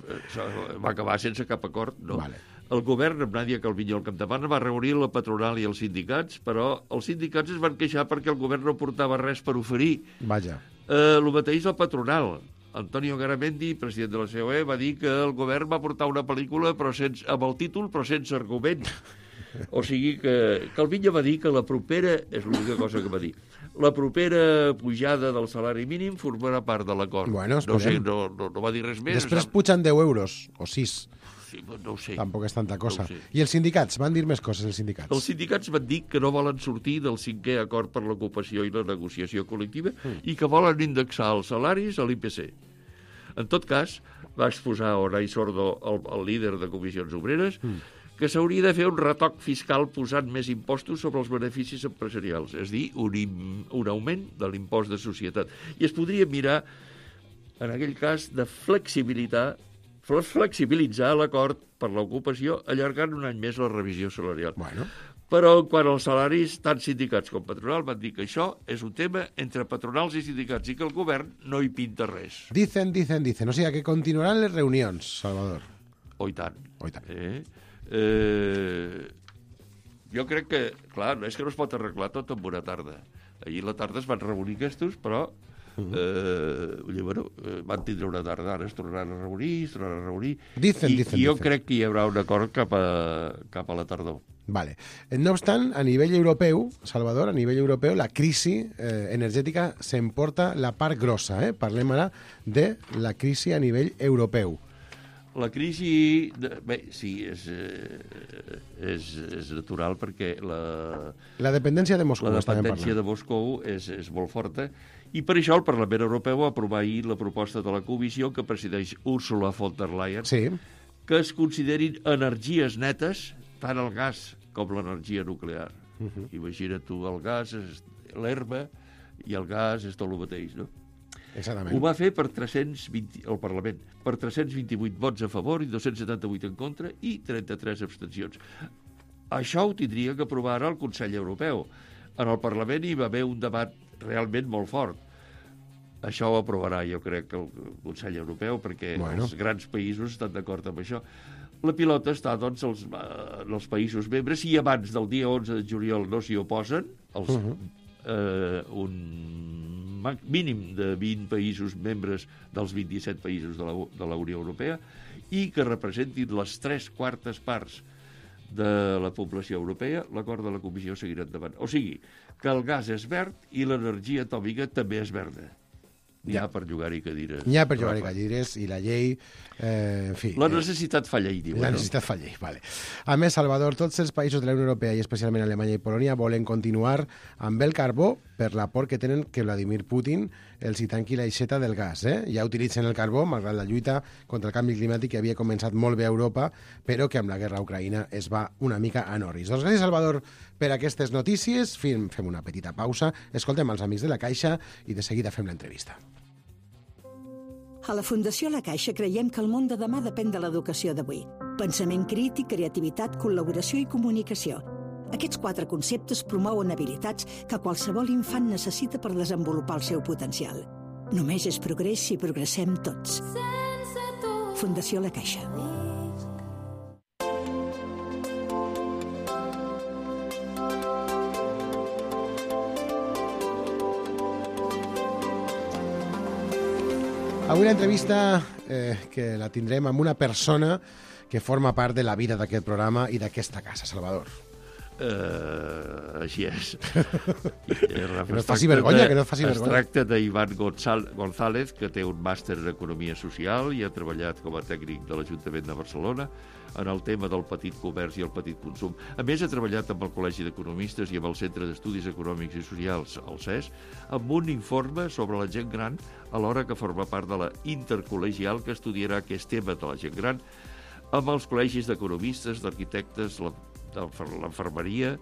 acabar sense cap acord, no? Vale. El govern, amb Nàdia Calviño al capdavant, va reunir la patronal i els sindicats, però els sindicats es van queixar perquè el govern no portava res per oferir. Vaja. El mateix el patronal. Antonio Garamendi, president de la COE, va dir que el govern va portar una pel·lícula amb el títol però sense argument. O sigui que Calviño va dir que la propera, és l'única cosa que va dir, la propera pujada del salari mínim formarà part de l'acord. Bueno, no va dir res més. Després pugen 10 euros, o 6. Sí, no ho sé. Tampoc és tanta cosa. No I els sindicats? Van dir més coses, els sindicats? Els sindicats van dir que no volen sortir del 5è acord per l'ocupació i la negociació col·lectiva i que volen indexar els salaris a l'IPC. En tot cas, va exposar Oray Sordo, el líder de Comissions Obreres, que s'hauria de fer un retoc fiscal posant més impostos sobre els beneficis empresarials, és a dir, un augment de l'impost de societat. I es podria mirar, en aquell cas, de flexibilitzar l'acord per l'ocupació, allargant un any més la revisió salarial. Bueno. Però quan els salaris, tant sindicats com patronal, van dir que això és un tema entre patronals i sindicats i que el govern no hi pinta res. Dicen. O sigui, que continuaran les reunions, Salvador. Oh, i tant. Jo crec que, clar, és que no es pot arreglar tot en una tarda. Ahir a la tarda es van reunir aquests, però van tindre una tarda, ara es tornaran a reunir, Dicen. Jo crec que hi haurà un acord cap a la tardor. Vale. No obstant, a nivell europeu, Salvador, la crisi energètica s'emporta la part grossa. Parlem ara de la crisi a nivell europeu. La crisi, sí, és natural perquè la dependència de Moscou. La dependència de Moscou és molt forta i per això el Parlament Europeu va aprovar ahir la proposta de la Comissió que presideix Ursula von der Leyen, que es considerin energies netes tant el gas com l'energia nuclear. Imagina't tu, el gas és l'herba i el gas és tot el mateix, no? Exactament. Ho va fer el Parlament, per 328 vots a favor i 278 en contra i 33 abstencions. Això ho tindria que aprovar ara el Consell Europeu. En el Parlament hi va haver un debat realment molt fort. Això ho aprovarà, jo crec, el Consell Europeu, perquè els grans països estan d'acord amb això. La pilota està, doncs, en els països membres, i abans del dia 11 de juliol no s'hi oposen, un mínim de 20 països membres dels 27 països de la Unió Europea i que representin les 3/4 parts de la població europea, l'acord de la Comissió seguirà endavant. O sigui, que el gas és verd i l'energia atòmica també és verda. N'hi ha per jugar-hi cadires. N'hi ha per jugar-hi cadires i la llei... en fi... La necessitat fa llei, diuen. La necessitat fa llei, vale. A més, Salvador, tots els països de la Unió Europea i especialment Alemanya i Polònia volen continuar amb el carbó per la por que tenen que Vladimir Putin els hi tanqui l'aixeta del gas. Ja utilitzen el carbó, malgrat la lluita contra el canvi climàtic que havia començat molt bé a Europa, però que amb la guerra a Ucraïna es va una mica a Norris. Doncs gràcies, Salvador, per aquestes notícies. Fem una petita pausa, escoltem els amics de la Caixa i de seguida fem l'entrevista. A la Fundació La Caixa creiem que el món de demà depèn de l'educació d'avui. Pensament crític, creativitat, col·laboració i comunicació. Aquests 4 conceptes promouen habilitats que qualsevol infant necessita per desenvolupar el seu potencial. Només és progrés si progressem tots. Fundació La Caixa. Avui l'entrevista que la tindrem amb una persona que forma part de la vida d'aquest programa i d'aquesta casa, Salvador. Així és. Que no et faci vergonya, que no et faci vergonya. Es tracta d'Ivan González, que té un màster en Economia Social i ha treballat com a tècnic de l'Ajuntament de Barcelona en el tema del petit comerç i el petit consum. A més, ha treballat amb el Col·legi d'Economistes i amb el Centre d'Estudis Econòmics i Socials, el CES, amb un informe sobre la gent gran, alhora que forma part de la intercol·legial que estudiarà aquest tema de la gent gran amb els col·legis d'economistes, d'arquitectes, l'enfermeria,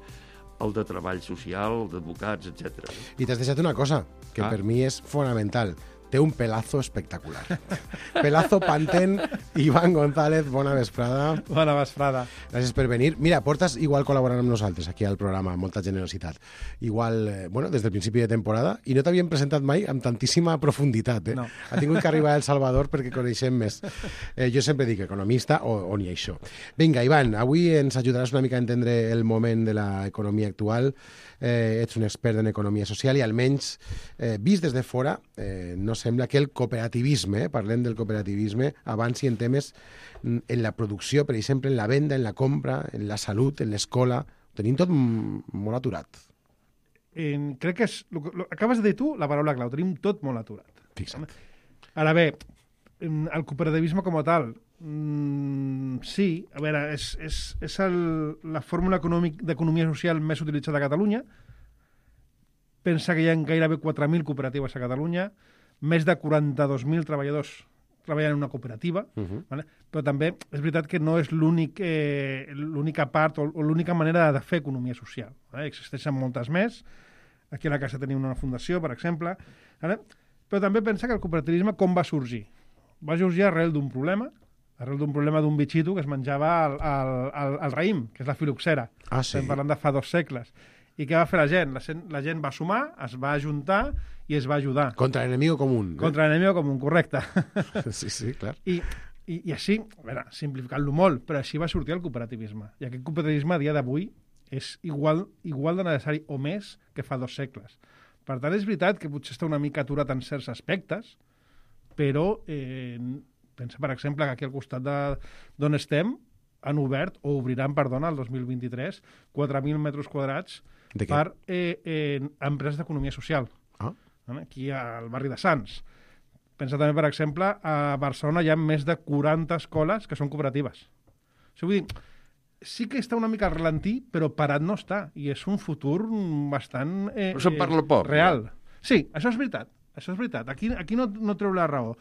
el de treball social, el d'advocats, etc. I t'has deixat una cosa, que per mi és fonamental. Té un pelazo espectacular. Pelazo Panten, Iván González, bona vesprada. Bona vesprada. Gràcies per venir. Mira, portes igual col·laborant amb nosaltres aquí al programa, amb molta generositat. Igual, des del principi de temporada, i no t'havien presentat mai amb tantíssima profunditat. No. Ha tingut que arribar El Salvador perquè coneixem més. Jo sempre dic economista o ni això. Vinga, Iván, avui ens ajudaràs una mica a entendre el moment de l'economia actual. Ets un expert en economia social i almenys vist des de fora no sembla que el cooperativisme, parlem del cooperativisme, avanci en temes en la producció, per exemple, en la venda, en la compra, en la salut, en l'escola. Ho tenim tot molt aturat. Crec que acabes de dir tu la paraula clau, tenim tot molt aturat. Fixa't. Ara bé, el cooperativisme com a tal, sí, a veure, és la fórmula d'economia social més utilitzada a Catalunya. Pensa que hi ha gairebé 4.000 cooperatives a Catalunya, més de 42.000 treballadors treballen en una cooperativa, vale? Però també és veritat que no és l'única part o l'única manera de fer economia social. Vale? Existeixen moltes més. Aquí a la casa tenim una fundació, per exemple. Vale? Però també pensa que el cooperativisme com va sorgir? Va sorgir arrel d'un problema d'un bitxito que es menjava el raïm, que és la filoxera. Ah, sí? Estem parlant de fa 2 segles. I què va fer la gent? La gent va sumar, es va ajuntar i es va ajudar. Contra l'enemigo común. Contra l'enemigo común, correcte. Sí, clar. I així, a veure, simplificant-lo molt, però així va sortir el cooperativisme. I aquest cooperativisme a dia d'avui és igual de necessari o més que fa 2 segles. Per tant, és veritat que potser està una mica aturat en certs aspectes, però pensa, per exemple, que aquí al costat d'on estem han obert, o obriran, perdona, el 2023, 4.000 metres quadrats per empreses d'economia social. Aquí al barri de Sants. Pensa també, per exemple, a Barcelona hi ha més de 40 escoles que són cooperatives. O sigui, vull dir, sí que està una mica al ralentí, però parat no està. I és un futur bastant Però se'n parla poc. real. Sí, això és veritat. Això és veritat. Aquí no treu la raó.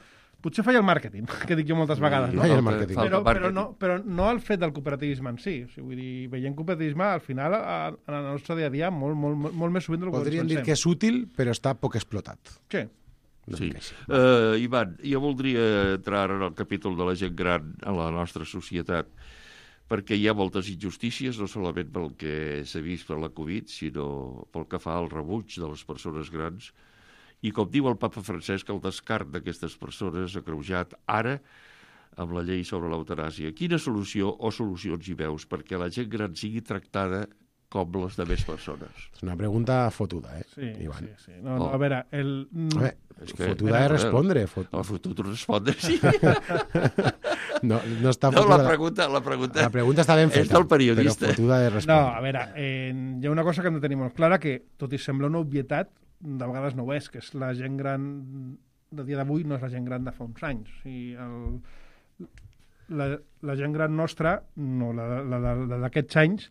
Potser falla el màrqueting, que dic jo moltes vegades. No? Falla el màrqueting. Però no el fet del cooperativisme en si. O sigui, vull dir, veient cooperativisme, al final, en el nostre dia a dia, molt més sovint del que Podríem dir que és útil, però està poc explotat. Sí. Sí. Ivan, jo voldria entrar en el capítol de la gent gran a la nostra societat, perquè hi ha moltes injustícies, no solament pel que s'ha vist per la Covid, sinó pel que fa al rebuig de les persones grans. I com diu el papa Francesc, el descart d'aquestes persones ha creujat ara amb la llei sobre l'eutanàsia. Quina solució o solucions hi veus perquè la gent gran sigui tractada com les demés persones? És una pregunta fotuda, Sí, Ivan? sí. No, a veure, fotuda és respondre. Fotut respondre, sí. No està fotuda. La pregunta està ben feta, és del periodista. Però fotuda és respondre. No, a veure, hi ha una cosa que hem de tenir molt clara, que tot i sembla una obvietat, de vegades no ho és, que és la gent gran de dia d'avui no és la gent gran de fa uns anys. O sigui, la gent gran nostra, no, la d'aquests anys,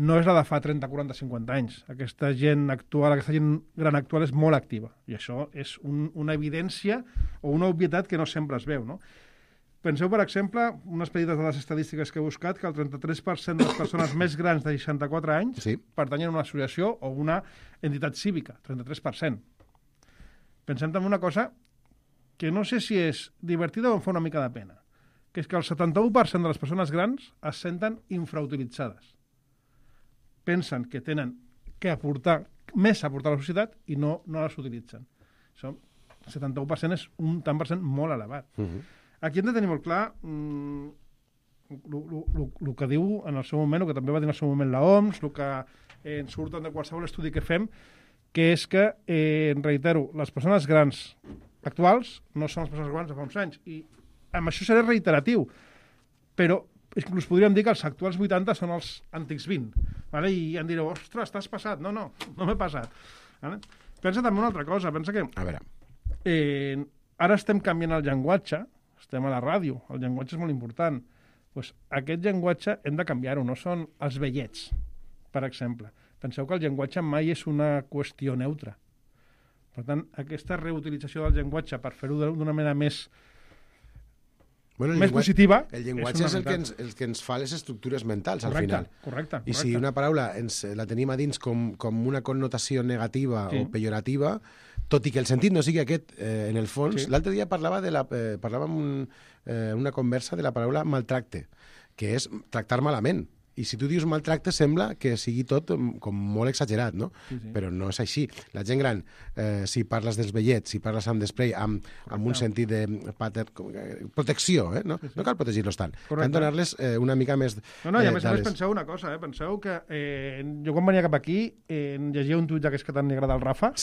no és la de fa 30, 40, 50 anys. Aquesta gent gran actual és molt activa. I això és una evidència o una obvietat que no sempre es veu, no? Penseu, per exemple, unes petites de les estadístiques que he buscat, que el 33% de les persones més grans de 64 anys pertanyen a una associació o una entitat cívica, 33%. Pensem també una cosa que no sé si és divertida o em fa una mica de pena, que és que el 71% de les persones grans es senten infrautilitzades. Pensen que tenen que aportar més a aportar a la societat i no les utilitzen. Això, el 71% és un tant per cent molt elevat. Aquí hem de tenir molt clar el que diu en el seu moment, el que també va dir en el seu moment l'OMS, el que ens surt de qualsevol estudi que fem, que és que, reitero, les persones grans actuals no són les persones grans de fa uns anys. I amb això seré reiteratiu, però inclús podríem dir que els actuals 80 són els antics 20. Vale? I em direu, ostres, t'has passat. No m'he passat. Vale? Pensa també una altra cosa. Pensa que ara estem canviant el llenguatge, estem a la ràdio, el llenguatge és molt important. Pues aquest llenguatge hem de canviar-ho, no són els vellets, per exemple. Penseu que el llenguatge mai és una qüestió neutra. Per tant, aquesta reutilització del llenguatge per fer-ho d'una manera més positiva... El llenguatge és el que ens fa les estructures mentals, al final. Correcte. I si una paraula la tenim a dins com una connotació negativa o pejorativa, tot i que el sentit no sigui aquest, en el fons, l'altre dia parlàvem una conversa de la paraula maltracte, que és tractar malament. I si tu dius maltracte sembla que sigui tot com molt exagerat, no? Però no és així. La gent gran, si parles dels vellets, si parles amb desprei, amb un sentit de protecció, no cal protegir-los tant. Cal donar-les una mica més i a més penseu una cosa, penseu que jo quan venia cap aquí llegia un tuit d'aquests que tant li agrada al Rafa,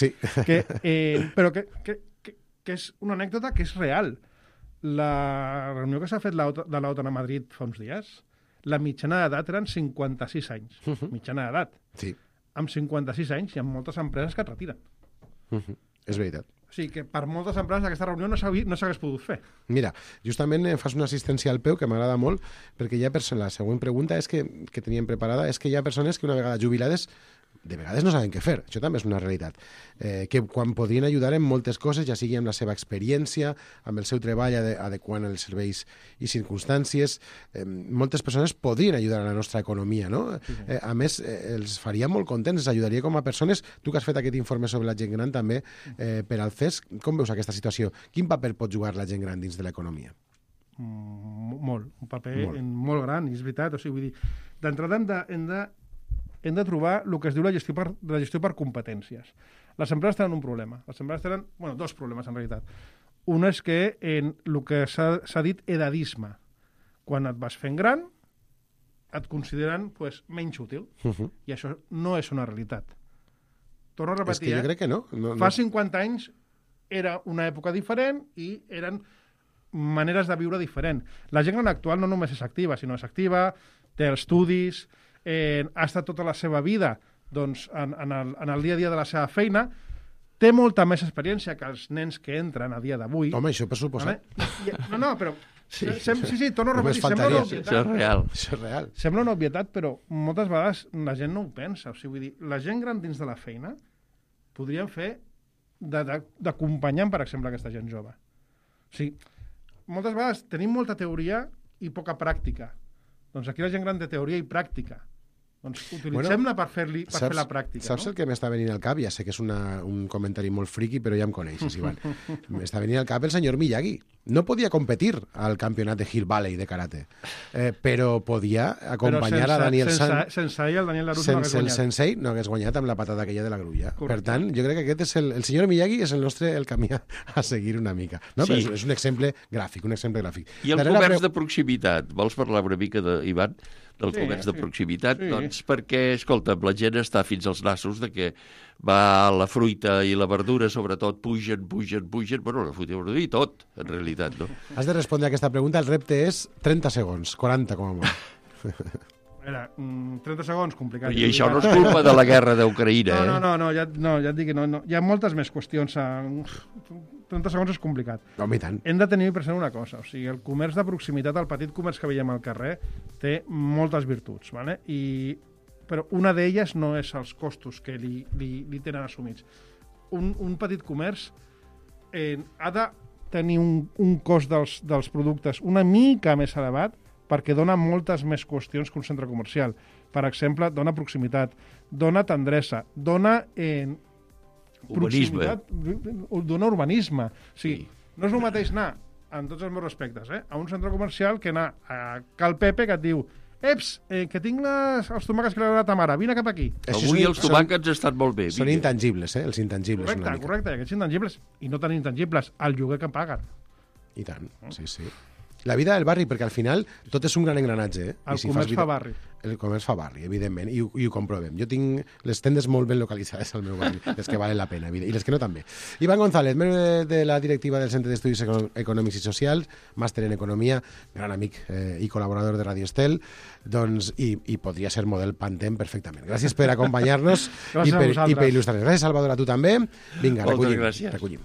però que és una anècdota que és real. La reunió que s'ha fet de l'OTAN a Madrid fa uns dies, la mitjana d'edat eren 56 anys. Mitjana d'edat. Sí. Amb 56 anys hi ha moltes empreses que et retiren. És veritat. O sigui que per moltes empreses aquesta reunió no s'hagués pogut fer. Mira, justament fas una assistència al peu que m'agrada molt, perquè hi ha persones... La següent pregunta és que teníem preparada és que hi ha persones que una vegada jubilades de vegades no saben què fer. Això també és una realitat. Que quan podrien ajudar en moltes coses, ja sigui amb la seva experiència, amb el seu treball adequant els serveis i circumstàncies, moltes persones podrien ajudar a la nostra economia, no? A més, els faria molt contents, els ajudaria com a persones. Tu que has fet aquest informe sobre la gent gran també, per al CES, com veus aquesta situació? Quin paper pot jugar la gent gran dins de l'economia? Molt, un paper molt gran, i és veritat. O sigui, vull dir, d'entrada hem de trobar el que es diu la gestió per competències. Les empreses tenen un problema. Les empreses tenen, dos problemes, en realitat. Un és que en el que s'ha dit edadisme. Quan et vas fent gran, et consideren menys útil. I això no és una realitat. Torno a repetir, és que jo crec que no. Fa 50 anys era una època diferent i eren maneres de viure diferent. La gent gran actual no només és activa, sinó és activa, té estudis, ha estat tota la seva vida en el dia a dia de la seva feina, té molta més experiència que els nens que entren a dia d'avui. Home, això per suposat. No, però... Sí, torno a repetir, sembla una obvietat. Això és real. Sembla una obvietat, però moltes vegades la gent no ho pensa. O sigui, vull dir, la gent gran dins de la feina podrien fer d'acompanyant, per exemple, aquesta gent jove. O sigui, moltes vegades tenim molta teoria i poca pràctica. Doncs aquí la gent gran té teoria i pràctica. Doncs utilitzem-la per fer la pràctica. Saps el que m'està venint al cap? Ja sé que és un comentari molt friqui, però ja em coneixes, Ivan. M'està venint al cap el senyor Miyagi. No podia competir al campionat de Hill Valley de karate, però podia acompanyar a Daniel San. Sense ell, el Daniel Larusso no hagués Sense guanyat. el sensei no hagués guanyat amb la patada aquella de la grulla. Correcte. Per tant, jo crec que aquest és el senyor Miyagi és el camí a seguir una mica. No? Sí. Però és un exemple gràfic, I el comerç de proximitat? Vols parlar una mica, Ivan, del comerç de proximitat? Sí. Doncs perquè, escolta, la gent està fins als nassos de que va la fruita i la verdura, sobretot, pugen, bueno, la fruita i la verdura i tot, en realitat, no? Has de respondre a aquesta pregunta. El repte és 30 segons, 40 com a molt. Era 30 segons, complicat. I això no és culpa de la guerra d'Ucraïna, No, ja et dic que no. Hi ha moltes més qüestions. 30 segons és complicat. Home, i tant. Hem de tenir present una cosa. O sigui, el comerç de proximitat, el petit comerç que veiem al carrer, té moltes virtuts, ¿vale? Però una d'elles no és els costos que li tenen assumits. Un petit comerç ha de tenir un cost dels productes una mica més elevat perquè dona moltes més qüestions que un centre comercial. Per exemple, dona proximitat, dona tendresa, dona urbanisme. Dona urbanisme. O sigui, no és el mateix anar, en tots els meus respectes, a un centre comercial que anar a Cal Pepe que et diu que tinc els tomàquets que li ha donat a mare, vine cap aquí. Avui els tomàquets estan molt bé. Són intangibles, els intangibles. Correcte, aquests intangibles. I no tan intangibles, el lloguer que paguen. I tant, sí. La vida del barri, perquè al final tot és un gran engranatge. El comerç fa barri. El comerç fa barri, evidentment, i ho comprovem. Jo tinc les tendes molt ben localitzades al meu barri, les que valen la pena, i les que no també. Iván González, membre de la directiva del Centre d'Estudis Econòmics i Socials, màster en Economia, gran amic i col·laborador de Radio Estel, doncs, i podria ser model Pantem perfectament. Gràcies per acompanyar-nos i per il·lustrar-nos. Gràcies, Salvador, a tu també. Vinga, recollim.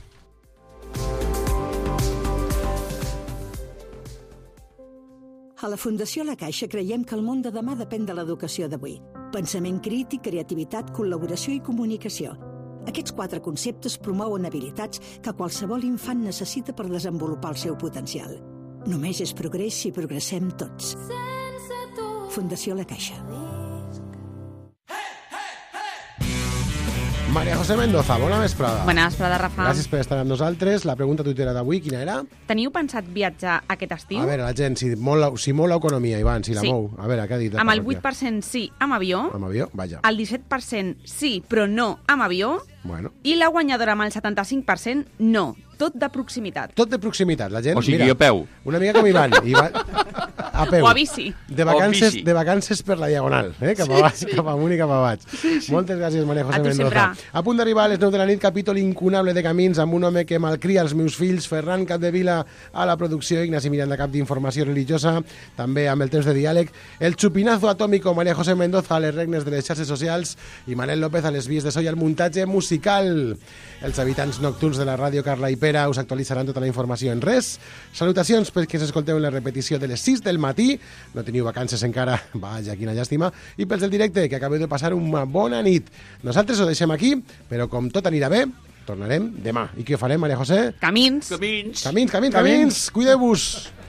A la Fundació La Caixa creiem que el món de demà depèn de l'educació d'avui. Pensament crític, creativitat, col·laboració i comunicació. Aquests 4 conceptes promouen habilitats que qualsevol infant necessita per desenvolupar el seu potencial. Només és progrés si progressem tots. Fundació La Caixa. María José Mendoza, bona vesprada. Bona vesprada, Rafa. Gràcies per estar amb nosaltres. La pregunta tuitera d'avui, quina era? Teniu pensat viatjar aquest estiu? A veure, la gent, si mou l'economia, Ivan, si la mou. A veure, què ha dit? Amb el 8% sí amb avió. Amb avió, vaja. El 17% sí, però no amb avió. Bueno. I la guanyadora amb el 75% no. Tot de proximitat. Tot de proximitat. La gent, o sigui, mira, a peu. Una mica com Ivan. A peu. O a bici. De vacances per la diagonal, cap amunt i cap a baix. Sí. Moltes gràcies, María José Mendoza. A punt d'arribar a les 9 de la nit, capítol incunable de Camins, amb un home que malcria els meus fills, Ferran Capdevila a la producció, Ignasi Miranda, cap d'informació religiosa, també amb el temps de diàleg, el xupinazo atòmico, María José Mendoza a les regnes de les xarxes socials i Manel López a les vies de so i al muntatge musical. musical. Els habitants nocturns de la ràdio Carla i Pera us actualitzaran tota la informació en res. Salutacions perquè s'escolteu en la repetició de les 6 del matí. No teniu vacances encara, vaja, quina llàstima. I pels del directe, que acabeu de passar una bona nit. Nosaltres ho deixem aquí, però com tot anirà bé, tornarem demà. I què farem, Maria José? Camins. Camins. Cuideu-vos.